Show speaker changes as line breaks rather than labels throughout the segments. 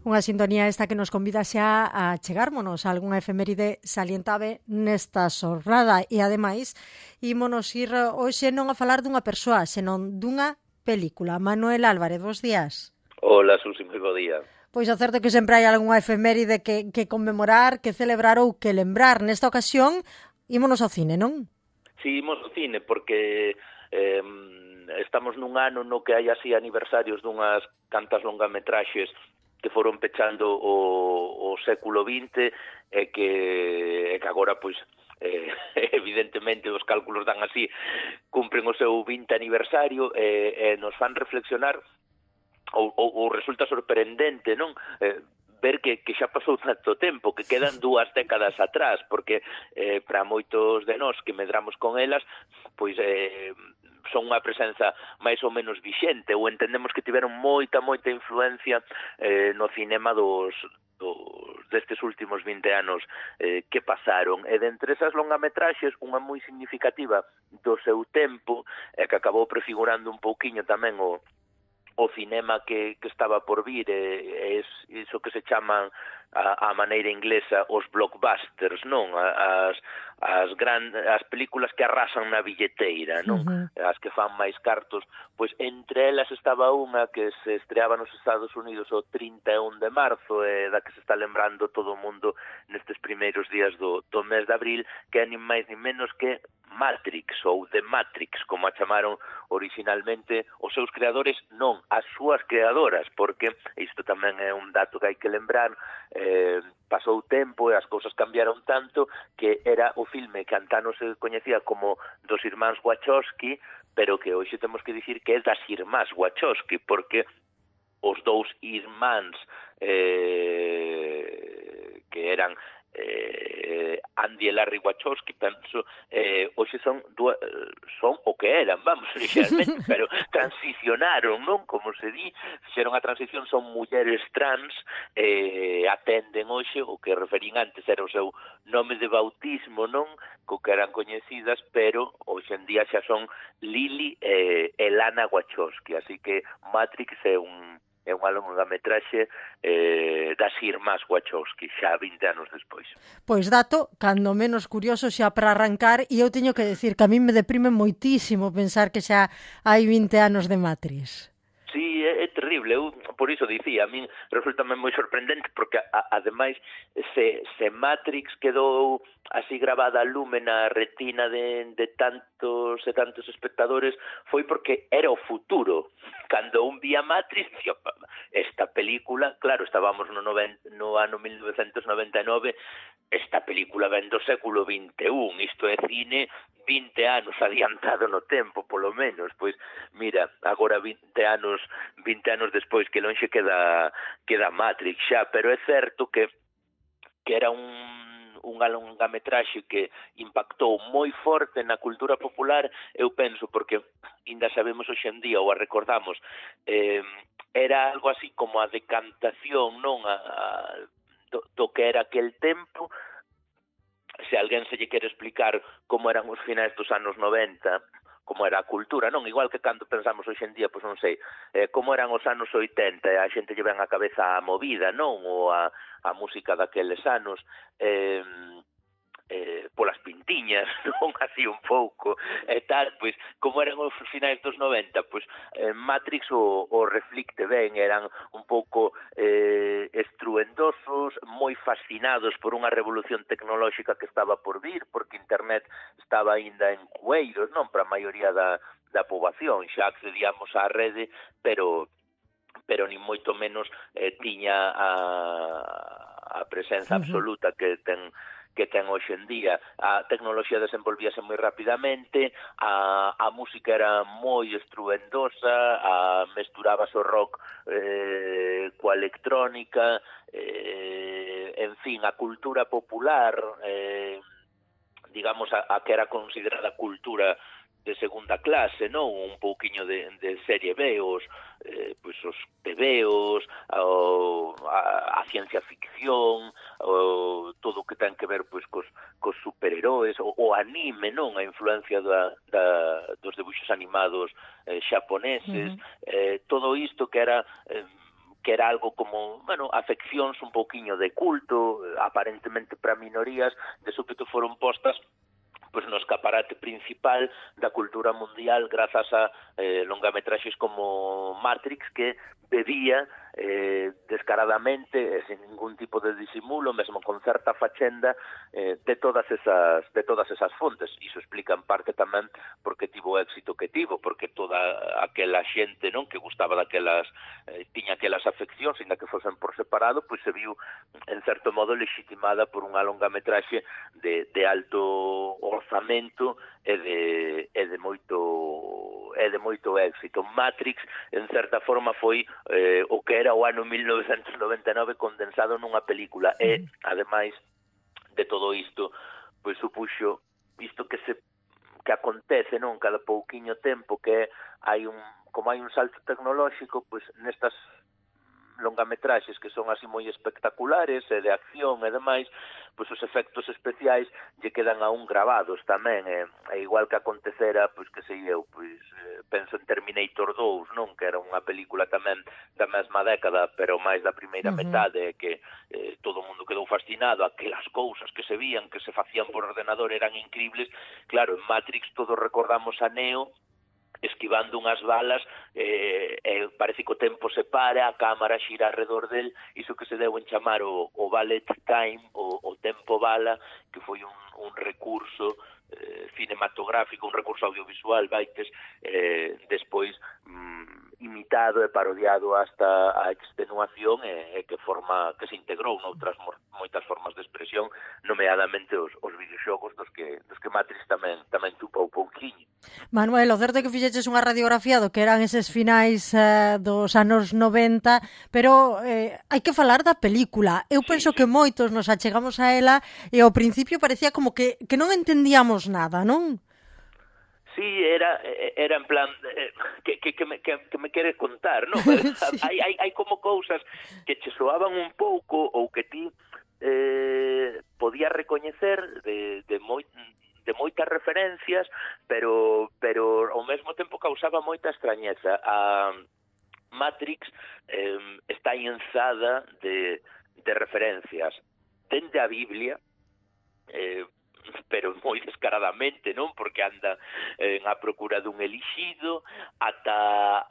Unha sintonía esta que nos convida xa a chegármonos a algunha efeméride salientable nesta xornada e, ademais, ímonos ir hoxe non a falar dunha persoa, senón dunha película. Manuel Álvarez, bons días.
Hola, Susi, moi bo día.
Pois é certo que sempre hai algunha efeméride que conmemorar, que celebrar ou que lembrar. Nesta ocasión, ímonos ao cine, non?
Si, imos ao cine, porque estamos nun ano no que hai así aniversarios dunhas cantas longametraxes que foron pechando o século XX e que agora, pois, evidentemente os cálculos dan así, cumpren o seu 20 aniversario e nos fan reflexionar ou resulta sorprendente, non? Ver que xa pasou tanto tempo, que quedan 2 décadas atrás, porque para moitos de nós que medramos con elas, pois son unha presenza máis ou menos vixente, ou entendemos que tiveron moita influencia no cinema destes últimos 20 anos que pasaron. E dentre esas longametraxes, unha moi significativa do seu tempo, que acabou prefigurando un pouquiño tamén o cinema que estaba por vir, iso que se chaman a maneira inglesa os blockbusters, non? As películas que arrasan na billeteira, non? As que fan máis cartos, pois entre elas estaba unha que se estreaba nos Estados Unidos o 31 de marzo, da que se está lembrando todo o mundo nestes primeiros días do mes de abril, que é nin máis nin menos que Matrix, ou The Matrix, como a chamaron originalmente os seus creadores, non, as súas creadoras, porque isto tamén é un dato que hai que lembrar, pasou tempo e as cousas cambiaron tanto que era o filme que antano se coñecía como dos irmáns Wachowski, pero que hoxe temos que dicir que é das irmás Wachowski, porque os dous irmáns que eran Andy e Larry Wachowski, penso, hoxe son o que eran, vamos, realmente, pero transicionaron, non? Como se di, fixeron a transición, son mulleres trans, atenden hoxe o que referín antes era o seu nome de bautismo, non? Co que eran coñecidas, pero hoxe en día xa son Lily e Lana Wachowski, así que Matrix é unha longametraxe das irmás Wachowski, xa 20 anos despois.
Pois dato, cando menos curioso xa para arrancar, e eu teño que decir que a mí me deprime moitísimo pensar que xa hai 20 anos de Matrix.
Sí, é terrible, eu por iso dicía, a min resultame moi sorprendente, porque ademais se Matrix quedou así grabada a lume na retina de tantos e tantos espectadores, foi porque era o futuro. Cando un vía Matrix, dicía, esta película, claro, estábamos no ano 1999, esta película ven do século XXI, isto é cine 20 anos adiantado no tempo, polo menos. Pois, mira, agora 20 anos despois, que lonxe queda Matrix xa, pero é certo que era unha longametraxe que impactou moi forte na cultura popular, eu penso, porque ainda sabemos hoxe en día, ou a recordamos, era algo así como a decantación, non, do que era aquel tempo. Se alguén se lle quere explicar como eran os finais dos anos 90, como era a cultura, non? Igual que cando pensamos hoxe en día, pois non sei, como eran os anos 80, a xente lle ven a cabeza a movida, non? Ou a música daqueles anos, polas pintiñas, non? Así un pouco, e tal, pois, como eran os finais dos 90, pois, Matrix o reflicte ben, eran un pouco estruendosos, moi fascinados por unha revolución tecnolóxica que estaba por vir, porque internet estaba aínda en cueiros, non? Para a maioría da poboación, xa accedíamos á rede, pero ni moito menos tiña a presenza absoluta que ten hoxe en día. A tecnoloxía desenvolvíase moi rapidamente, a música era moi estruendosa, mesturabas o rock coa electrónica, en fin, a cultura popular, digamos, a que era considerada cultura de segunda clase, non? Un pouquiño de serie B, os tebeos, a ciencia ficción, todo o que ten que ver pois cos superheróis, o anime, non? A influencia dos debuxos animados xaponeses, todo isto que era que era algo como, bueno, afeccións un pouquiño de culto, aparentemente para minorías, de súpeto foron postas pois no escaparate principal da cultura mundial grazas a longametraxes como Matrix, que bebía descaradamente, sin ningún tipo de disimulo, mesmo con certa fachenda, de todas esas fontes. Iso explica en parte tamén porque tivo o éxito que tivo, porque toda aquela xente, non, que gustaba daquelas, tiña aquelas afeccións, ainda que fosen por separado, pois se viu en certo modo legitimada por unha longametraxe de alto orzamento e de moito éxito. Matrix, en certa forma, foi o que era o ano 1999 condensado nunha película, e, ademais de todo isto, pois supuxo isto que acontece, non, cada pouquiño tempo, que como hai un salto tecnolóxico, pois nestas longametraxes que son así moi espectaculares e de acción e demais, pois os efectos especiais lle quedan aún gravados tamén, e igual que acontecera, pois que sei eu, pois penso en Terminator 2, non, que era unha película tamén da mesma década, pero máis da primeira metade, que todo o mundo quedou fascinado, aquelas cousas que se vían, que se facían por ordenador eran incribles. Claro, en Matrix todos recordamos a Neo esquivando unhas balas, parece que o tempo se para, a cámara xira alrededor del, iso que se deu en chamar o ballet time, o tempo bala, que foi un recurso cinematográfico, un recurso audiovisual, vaites, despois imitado e parodiado hasta a extenuación, e que se integrou noutras moitas formas de expresión, nomeadamente os videoxogos dos que Matrix tamén tupa un pouquiño.
Manuel, o certo é que fixeches unha radiografía do que eran eses finais dos anos 90, pero hai que falar da película. Eu penso que moitos nos achegamos a ela e ao principio parecía como que non entendíamos nada, non?
Sí, era en plan que me queres contar, non? Sí. Hai como cousas que che soaban un pouco ou que ti podías recoñecer de moitas referencias, pero ao mesmo tempo causaba moita extrañeza. A Matrix está enzada de referencias dende a Biblia, pero moi descaradamente, non? Porque anda a procura dun elixido, ata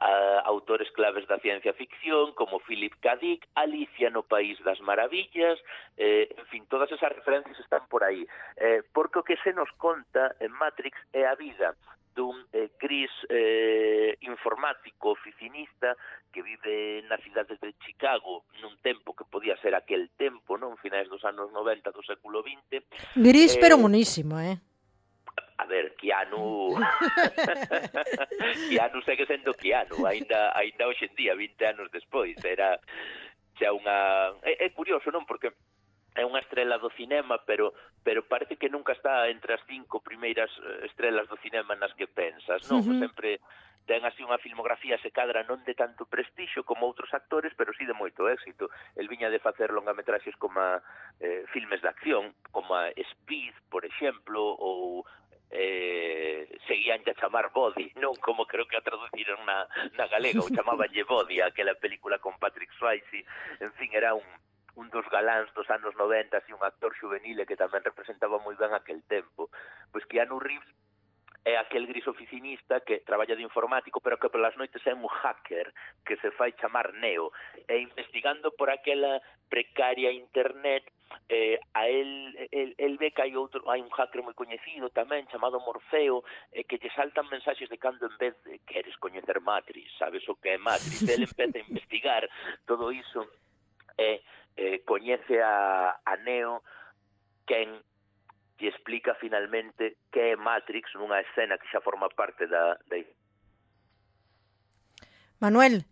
autores claves da ciencia ficción, como Philip K. Dick, Alicia no País das Maravillas, en fin, todas esas referencias están por aí. Porque o que se nos conta en Matrix é a vida dun gris informático oficinista que vive na cidade de Chicago nun tempo que podía ser aquel tempo, non? Finais dos anos 90 do século XX.
Gris pero monísimo,
A ver, Keanu segue sendo Keanu, aínda hoxe en día, 20 anos despois, era xa unha... É curioso, non? Porque é unha estrela do cinema, pero parece que nunca está entre as 5 primeiras estrelas do cinema nas que pensas, non? Sempre ten así unha filmografía, se cadra, non de tanto prestixio como outros actores, pero sí de moito éxito. El viña de facer longametraxes como filmes de acción, como Speed, por exemplo, ou seguían a chamar Body, non como creo que a traduciron na galega, ou chamabanlle Body, aquela película con Patrick Swayze. En fin, era un dos galáns dos anos 90, así un actor juvenil que tamén representaba moi ben aquel tempo. Pois Keanu Reeves é aquel gris oficinista que traballa de informático, pero que polas noites é un hacker que se fai chamar Neo, e investigando por aquela precaria internet, a el ve que hai un hacker moi coñecido tamén chamado Morfeo, que lle saltan mensaxes de cando en vez de queres coñecer Matrix, sabes o que é Matrix. El empeza a investigar todo iso e coñece a Neo, quen lle explica finalmente que é Matrix nunha escena que xa forma parte da...
Manuel.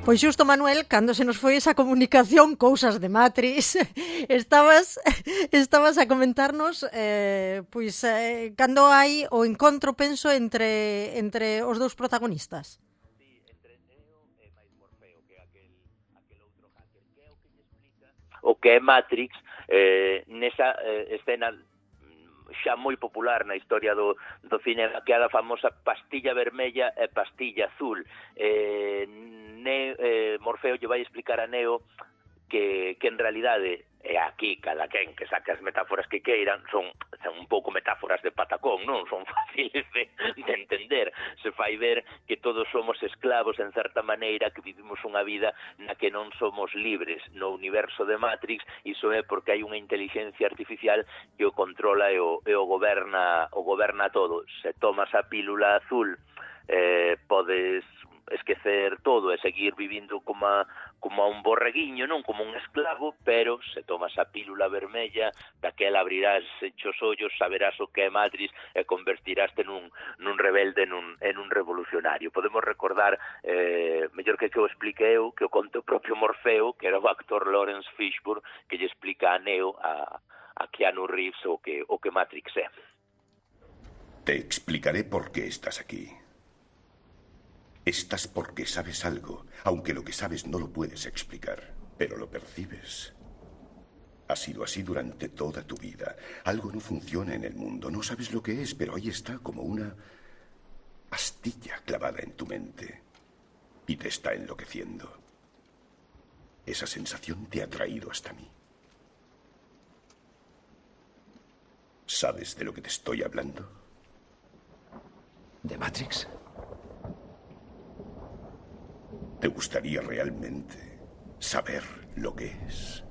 Pois xusto, Manuel, cando se nos foi esa comunicación, cousas de Matrix, estabas a comentarnos cando hai o encontro, penso, entre os dous protagonistas.
Sí, entre Neo e máis Morfeo, que é aquel outro hacker, que é o que lle explica o que é Matrix, nesa escena xa moi popular na historia do cinema, que é a famosa pastilla vermella e pastilla azul. Morfeo lle vai explicar a Neo que en realidade, e aquí cada quen que saque as metáforas que queiran, son un pouco metáforas de patacón, non? Son fáciles de entender. Se fai ver que todos somos esclavos en certa maneira, que vivimos unha vida na que non somos libres. No universo de Matrix, iso é porque hai unha inteligencia artificial que o controla e o goberna todo. Se tomas a pílula azul, podes esquecer todo e seguir vivindo como un borreguiño, non como un esclavo, pero se tomas a pílula vermella, daquela abrirás os ollos, saberás o que é Matrix e convertiraste nun rebelde, en un revolucionario. Podemos recordar, mellor que o explique eu, que o conte o propio Morfeo, que era o actor Lawrence Fishburne, que lle explica a Neo, a Keanu Reeves, o que Matrix é.
Te explicaré por qué estás aquí. Estás porque sabes algo, aunque lo que sabes no lo puedes explicar, pero lo percibes. Ha sido así durante toda tu vida. Algo no funciona en el mundo, no sabes lo que es, pero ahí está como una astilla clavada en tu mente y te está enloqueciendo. Esa sensación te ha traído hasta mí. ¿Sabes de lo que te estoy hablando?
¿De Matrix?
¿Te gustaría realmente saber lo que es?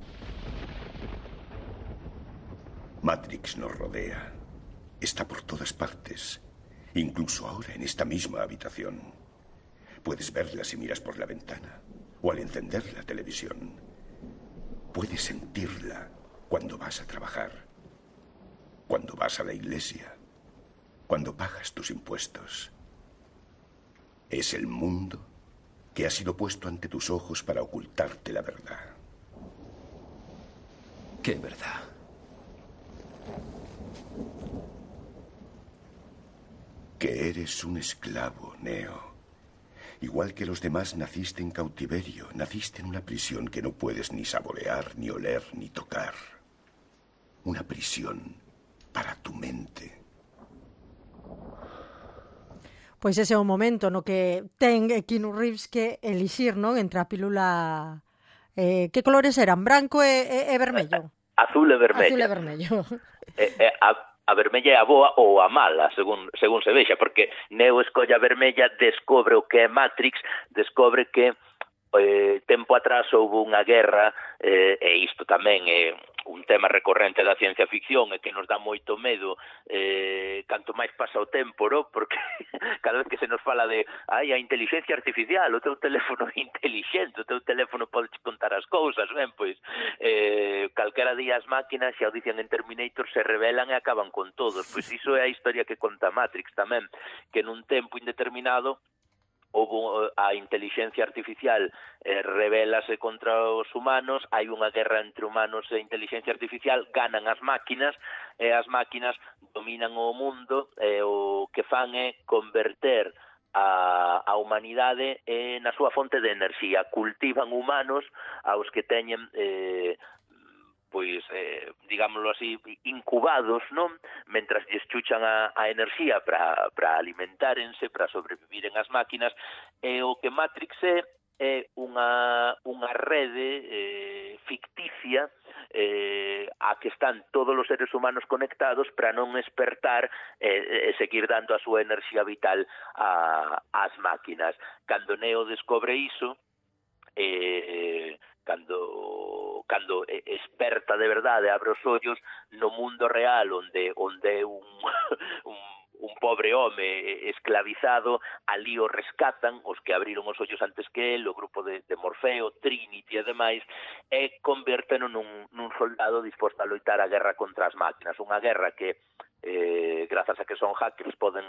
Matrix nos rodea. Está por todas partes. Incluso ahora en esta misma habitación. Puedes verla si miras por la ventana o al encender la televisión. Puedes sentirla cuando vas a trabajar, cuando vas a la iglesia, cuando pagas tus impuestos. Es el mundo que ha sido puesto ante tus ojos para ocultarte la verdad.
¿Qué verdad?
Que eres un esclavo, Neo. Igual que los demás, naciste en cautiverio, naciste en una prisión que no puedes ni saborear, ni oler, ni tocar. Una prisión para tu mente.
Pois ese é o momento no que ten Keanu Reeves que elixir, non, entre a pílula... que colores eran? Branco e vermello?
Azul e vermello.
Azul e vermello.
A vermella é a boa ou a mala, según se vexa, porque Neo escolla a vermella, descobre o que é Matrix, descobre que tempo atrás houve unha guerra, e isto tamén é un tema recorrente da ciencia ficción e que nos dá moito medo canto máis pasa o tempo, no? Porque cada vez que se nos fala de a inteligencia artificial, o teu teléfono é inteligente, o teu teléfono pode contar as cousas, ben, pois calquera día as máquinas, xa o dicen en Terminator, se rebelan e acaban con todos. Pois iso é a historia que conta Matrix tamén, que nun tempo indeterminado houve a inteligencia artificial rebélase contra os humanos, hai unha guerra entre humanos e inteligencia artificial, ganan as máquinas, e as máquinas dominan o mundo, e o que fan é converter a humanidade na súa fonte de enerxía, cultivan humanos aos que teñen digámoslo así, incubados, non? Mentras lles chuchan a enerxía para alimentárense, para sobrevivir en as máquinas, e o que Matrix é unha rede ficticia a que están todos os seres humanos conectados para non espertar e seguir dando a súa enerxía vital ás máquinas. Cando Neo descobre iso, cando esperta de verdade, abre os ollos no mundo real onde un pobre home esclavizado, ali o rescatan os que abriron os ollos antes que el, o grupo de Morfeo, Trinity e demais, e convérteno nun soldado disposto a loitar a guerra contra as máquinas, unha guerra que grazas a que son hackers poden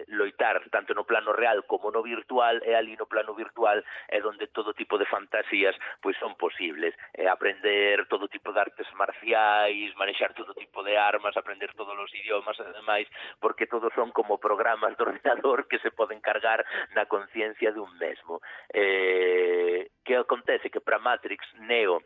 loitar tanto no plano real como no virtual, e ali no plano virtual é onde todo tipo de fantasías pois son posibles, aprender todo tipo de artes marciais, manexar todo tipo de armas, aprender todos os idiomas e demais, porque todos son como programas do ordenador que se poden cargar na conciencia dun mesmo. Que acontece? Que para Matrix, Neo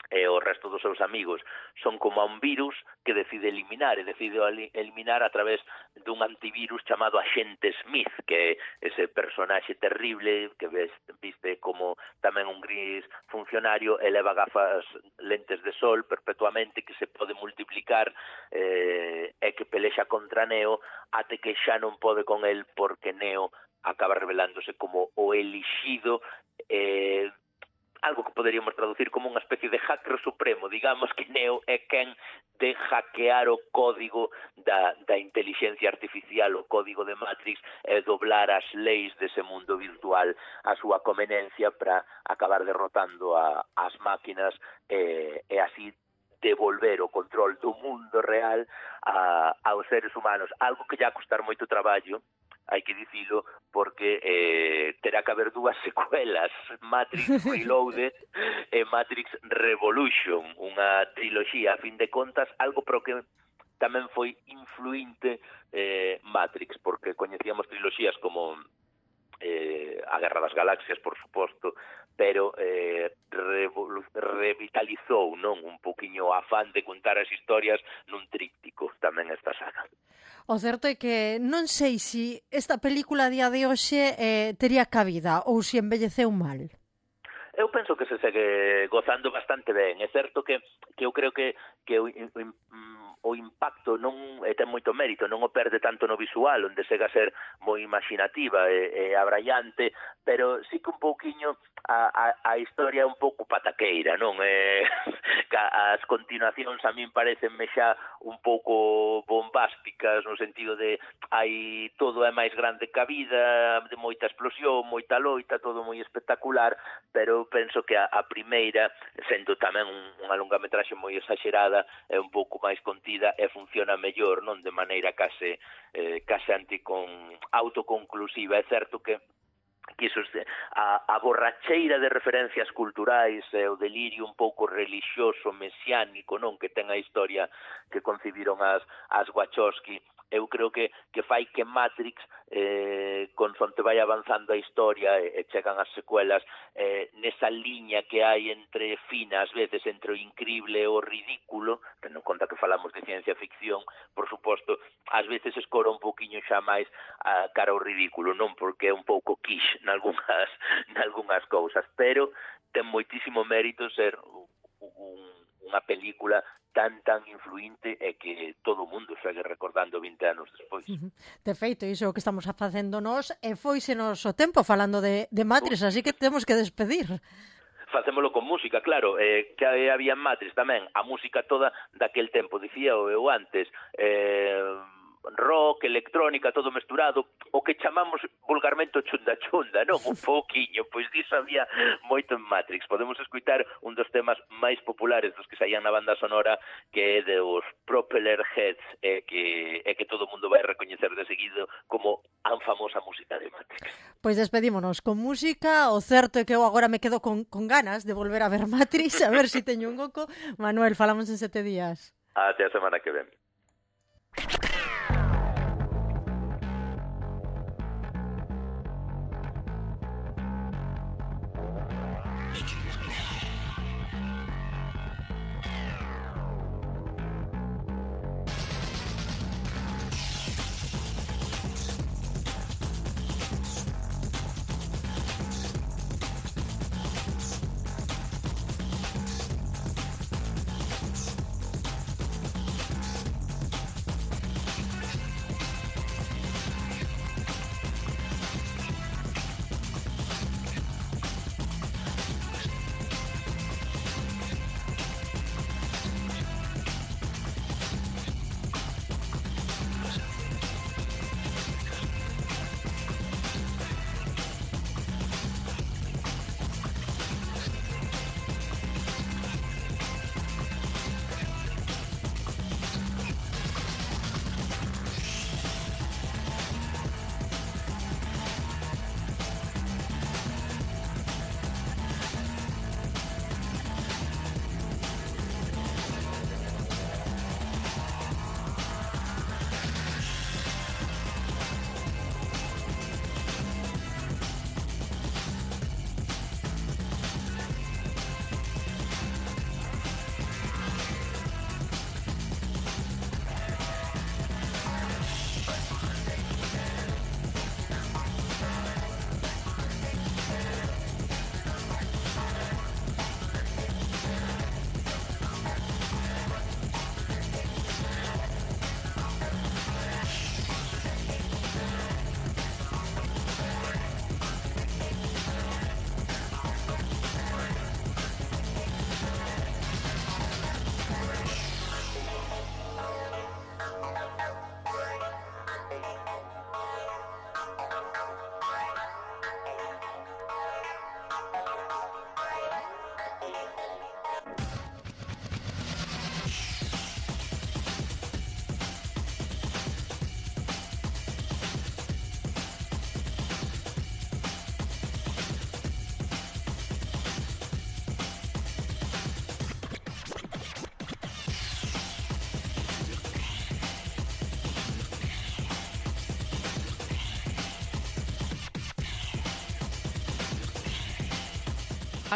e o resto dos seus amigos son como a un virus que decide eliminar, e decide eliminar a través dun antivirus chamado Agente Smith, que é ese personaxe terrible que viste como tamén un gris funcionario, e leva gafas lentes de sol perpetuamente, que se pode multiplicar e que pelexa contra Neo até que xa non pode con el, porque Neo acaba revelándose como o elixido, algo que poderíamos traducir como unha especie de hacker supremo. Digamos que Neo é quen de hackear o código da inteligencia artificial, o código de Matrix, e doblar as leis dese mundo virtual a súa conveniencia para acabar derrotando as máquinas e así devolver o control do mundo real aos seres humanos. Algo que lle a costar moito traballo, hai que dicilo, porque terá que haber dúas secuelas, Matrix Reloaded e Matrix Revolution, unha triloxía, a fin de contas, algo pro que tamén foi influinte Matrix, porque coñecíamos triloxías como a Guerra das Galaxias, por suposto, pero revitalizou, non, un poquinho o afán de contar as historias nun tríptico, tamén esta saga.
O certo é que non sei se esta película a día de hoxe tería cabida ou se envelleceu mal.
Eu penso que se segue gozando bastante ben. É certo que eu creo que o impacto non ten moito mérito, non o perde tanto no visual, onde chega a ser moi imaginativa e abraiante, pero sí que un pouquiño a historia é un pouco pataqueira, non? As continuacións a min parecenme xa un pouco bombásticas, no sentido de hai todo é máis grande que a vida, de moita explosión, moita loita, todo moi espectacular, pero penso que a primeira, sendo tamén unha longametraxe moi exagerada, é un pouco máis contida e funciona mellor, non, de maneira case autoconclusiva. É certo que iso, a borracheira de referencias culturais e o delirio un pouco relixioso, mesiánico, non, que ten a historia que concibiron as Wachowski, eu creo que fai que Matrix, consonte vai avanzando a historia e chegan as secuelas, nesa liña que hai entre fina, ás veces, entre o increíble e o ridículo, tendo en conta que falamos de ciencia ficción, por suposto, ás veces escora un poquinho xa máis cara ao ridículo, non, porque é un pouco quiche nalgunhas cousas, pero ten moitísimo mérito ser unha película tan influinte e que todo o mundo segue recordando 20 anos despois.
De feito, iso é o que estamos facendo nós, e foisenos o tempo falando de Matrix, así que temos que despedir.
Facémolo con música, claro, que había en Matrix tamén, a música toda daquel tempo, dicía eu antes, rock, electrónica, todo mesturado, o que chamamos vulgarmente chunda, non? Un pouquiño, pois diso había moito en Matrix. Podemos escutar un dos temas máis populares dos que saían na banda sonora, que é de os Propeller Heads, que todo o mundo vai recoñecer de seguido como a famosa música de Matrix.
Pois despedímonos con música. O certo é que eu agora me quedo con ganas de volver a ver Matrix, a ver se teño un oco. Manuel, falamos en 7 días.
Até a semana que ven.